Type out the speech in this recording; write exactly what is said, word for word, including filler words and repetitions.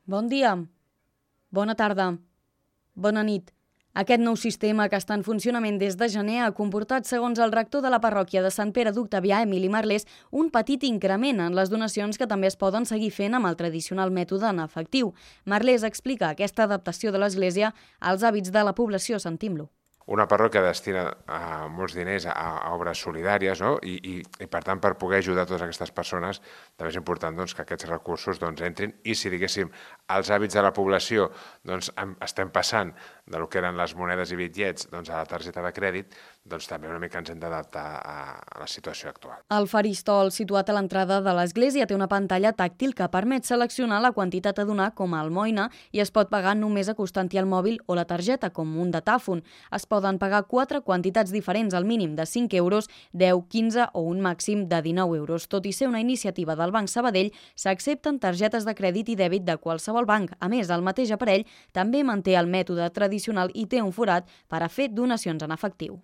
Bon dia, bona tarda, bona nit. Aquest nou sistema, que està en funcionament des de gener, ha comportat, segons el rector de la parròquia de Sant Pere d'Octavià, Emili Marlés, un petit increment en les donacions que també es poden seguir fent amb el tradicional mètode en efectiu. Marlés explica aquesta adaptació de l'Església als hàbits de la població. Sentim-lo. Una parròquia destina a molts diners a, a obres solidàries, no? I, i, i per tant, per poder ajudar totes aquestes persones, també és important doncs, que aquests recursos doncs, entrin i si, diguéssim, els hàbits de la població doncs, estem passant de lo que eren les monedes i bitllets doncs, a la targeta de crèdit, doncs també una mica ens hem d'adaptar a, a la situació actual. El faristol situat a l'entrada de l'església té una pantalla tàctil que permet seleccionar la quantitat a donar com a almoina i es pot pagar només acostant-hi el mòbil o la targeta, com un datàfon. Es poden pagar quatre quantitats diferents, al mínim de cinc euros, deu, quinze o un màxim de dinou euros. Tot i ser una iniciativa del Banc Sabadell, s'accepten targetes de crèdit i dèbit de qualsevol banc. A més, el mateix aparell també manté el mètode tradicional i té un forat per a fer donacions en efectiu.